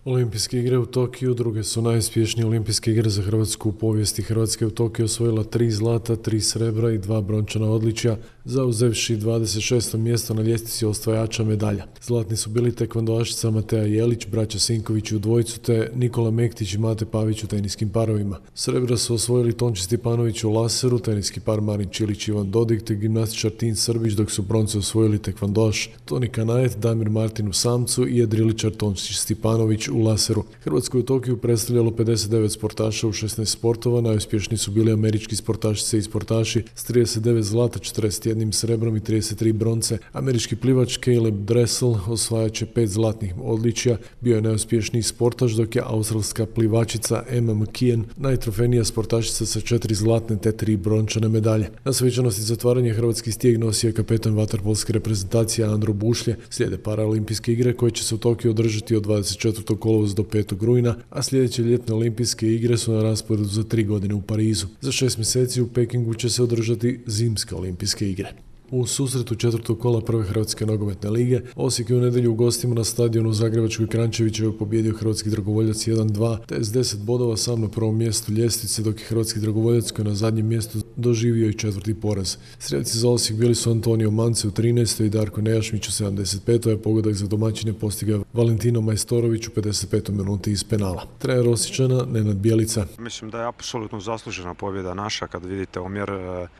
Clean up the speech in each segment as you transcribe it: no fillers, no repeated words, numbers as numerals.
Olimpijske igre u Tokiju druge su najuspješnije olimpijske igre za Hrvatsku u povijesti. Hrvatska je u Tokiju osvojila 3 zlata, 3 srebra i 2 brončana odličja, zauzevši 26. mjesto na ljestvici osvajača medalja. Zlatni su bili tekvandoašica Matea Jelić, braća Sinković u dvojcu, te Nikola Mektić i Mate Pavić u teniskim parovima. Srebra su osvojili Tonči Stipanović u laseru, teniski par Marin Čilić i Ivan Dodig, te gimnastičar Tin Srbić, dok su bronce osvojili tekvandoaš Toni Kanajet, Damir Martin u samcu i jedriličar Tonči Stipanović u laseru. Hrvatsku u Tokiju predstavljalo 59 sportaša u 16 sportova, najuspješniji su bili američki sportašice i sportaši s 39 zlata, 41 srebrom i 33 bronce. Američki plivač Caleb Dressel osvajač je 5 zlatnih odličja, bio je najuspješniji sportaš, dok je australska plivačica Emma McKeon najtrofejnija sportašica sa 4 zlatne te 3 brončane medalje. Na svečanosti zatvaranja hrvatski stijeg nosio je kapetan vaterpolske reprezentacije Andro Bušlje. Slijede paraolimpijske igre koje će se u Tokiju održati od 24. kolovoza do 5. rujna, a sljedeće ljetne olimpijske igre su na rasporedu za 3 godine u Parizu. Za 6 mjeseci u Pekingu će se održati zimske olimpijske igre. U susretu četvrtog kola prve Hrvatske nogometne lige, Osijek je u nedjelju u gostima na stadionu u Zagrebačkoj Kranjčevićevoj pobijedio hrvatski dragovoljac 1-2, te s 10 bodova sam na prvom mjestu ljestvice, dok je hrvatski dragovoljac koji je na zadnjem mjestu doživio i četvrti poraz. Strijelci za Osijek bili su Antonio Mance u 13. i Darko Nejašmić u 75. a pogodak za domaćine postigao Valentino Majstorović u 55. minuti iz penala. Trener Osječana Nenad Bjelica. Mislim da je apsolutno zaslužena pobjeda naša kad vidite omjer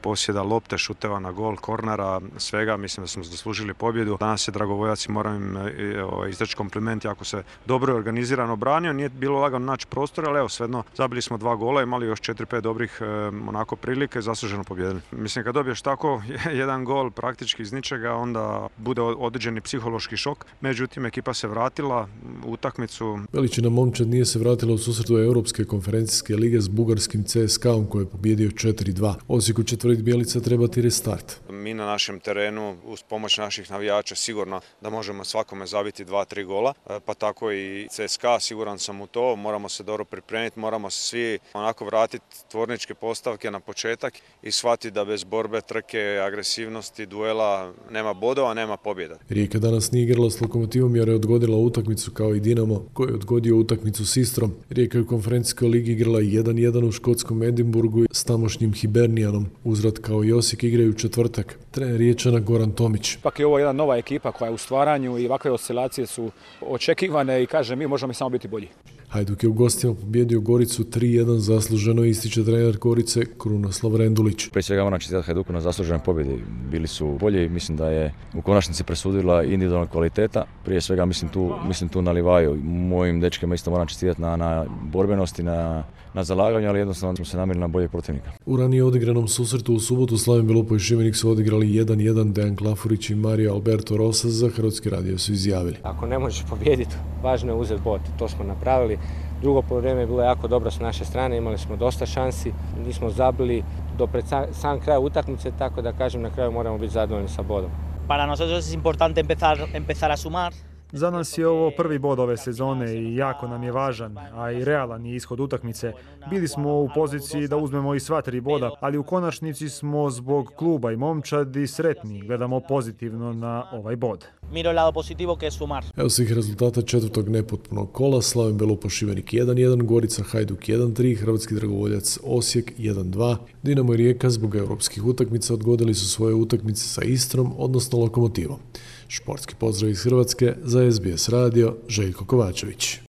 posjeda lopte, šuteva na gol, kornera, svega, mislim da smo zaslužili pobjedu. Danas je dragovoljac i moram im izreći kompliment, jako se dobro i organizirano branio, nije bilo lagano naći prostor, ali evo svejedno zabili smo 2 gola, imali još 4-5 dobrih onako prilike, zasluženo pobjedili. Mislim kad dobiješ tako jedan gol praktički iz ničega, onda bude određeni psihološki šok, međutim ekipa se vratila u utakmicu. Veličina momčad nije se vratila u susretu Europske konferencijske lige s bugarskim CSKA-om koji je pobjedio 4-2. Osijeku će tvrditi Bjelica trebati restart. Mi na našem terenu uz pomoć naših navijača sigurno da možemo svakome zabiti 2-3 gola, pa tako i CSKA, siguran sam u to, moramo se dobro pripremiti, moramo se svi onako vratiti tvorničke postavke na početak i shvatiti da bez borbe, trke, agresivnosti, duela nema bodova, nema pobjeda. Rijeka danas nije igrala s Lokomotivom jer je odgodila utakmicu kao i Dinamo koji je odgodio utakmicu s Istrom. Rijeka je u konferencijskoj ligi igrala 1-1 u škotskom Edinburgu s tamošnjim Hibernijanom. Uzvrat kao i Osijek igraju u četvrtak. Trener Riječana Goran Tomić. Ipak je ovo jedna nova ekipa koja je u stvaranju i ovakve oscilacije su očekivane i kaže mi možemo samo biti bolji. Hajduk je u gostima pobjedio Goricu 3-1, zasluženo ističe trener Gorice Krunoslav Rendulić. Prije svega moram čestitati Hajduku na zasluženoj pobjedi. Bili su bolji, mislim da je u konačnici presudila individualna kvaliteta. Prije svega mislim tu na Livaju. Mojim dečkima isto moram čestitati na borbenosti, na zalaganju, ali jednostavno smo se namirili na boljeg protivnika. U ranije odigranom susretu u subotu Slaven Belupo i Šibenik su odigrali 1-1. Dejan Klafurić i Mario Alberto Rosas za Hrvatski radio su izjavili. Ako ne možeš pobijediti, važno je uzeti bod. To smo napravili. Drugo poluvreme je bilo jako dobro s naše strane, imali smo dosta šansi, nismo zabili do pred sam kraj utakmice, tako da kažem na kraju moramo biti zadovoljni sa bodom. Para nosotros es importante empezar a sumar. Za nas je ovo prvi bod ove sezone i jako nam je važan, a i realan je ishod utakmice. Bili smo u poziciji da uzmemo i sva 3 boda, ali u konačnici smo zbog kluba i momčadi sretni. Gledamo pozitivno na ovaj bod. Miro el lado positivo que es sumar. Evo svih rezultata četvrtog nepotpunog kola. Slaven Belupo Šibenik 1-1, Gorica Hajduk 1-3, Hrvatski dragovoljac Osijek 1-2. Dinamo i Rijeka zbog europskih utakmica odgodili su svoje utakmice sa Istrom, odnosno Lokomotivom. Športski pozdrav iz Hrvatske za SBS radio, Željko Kovačević.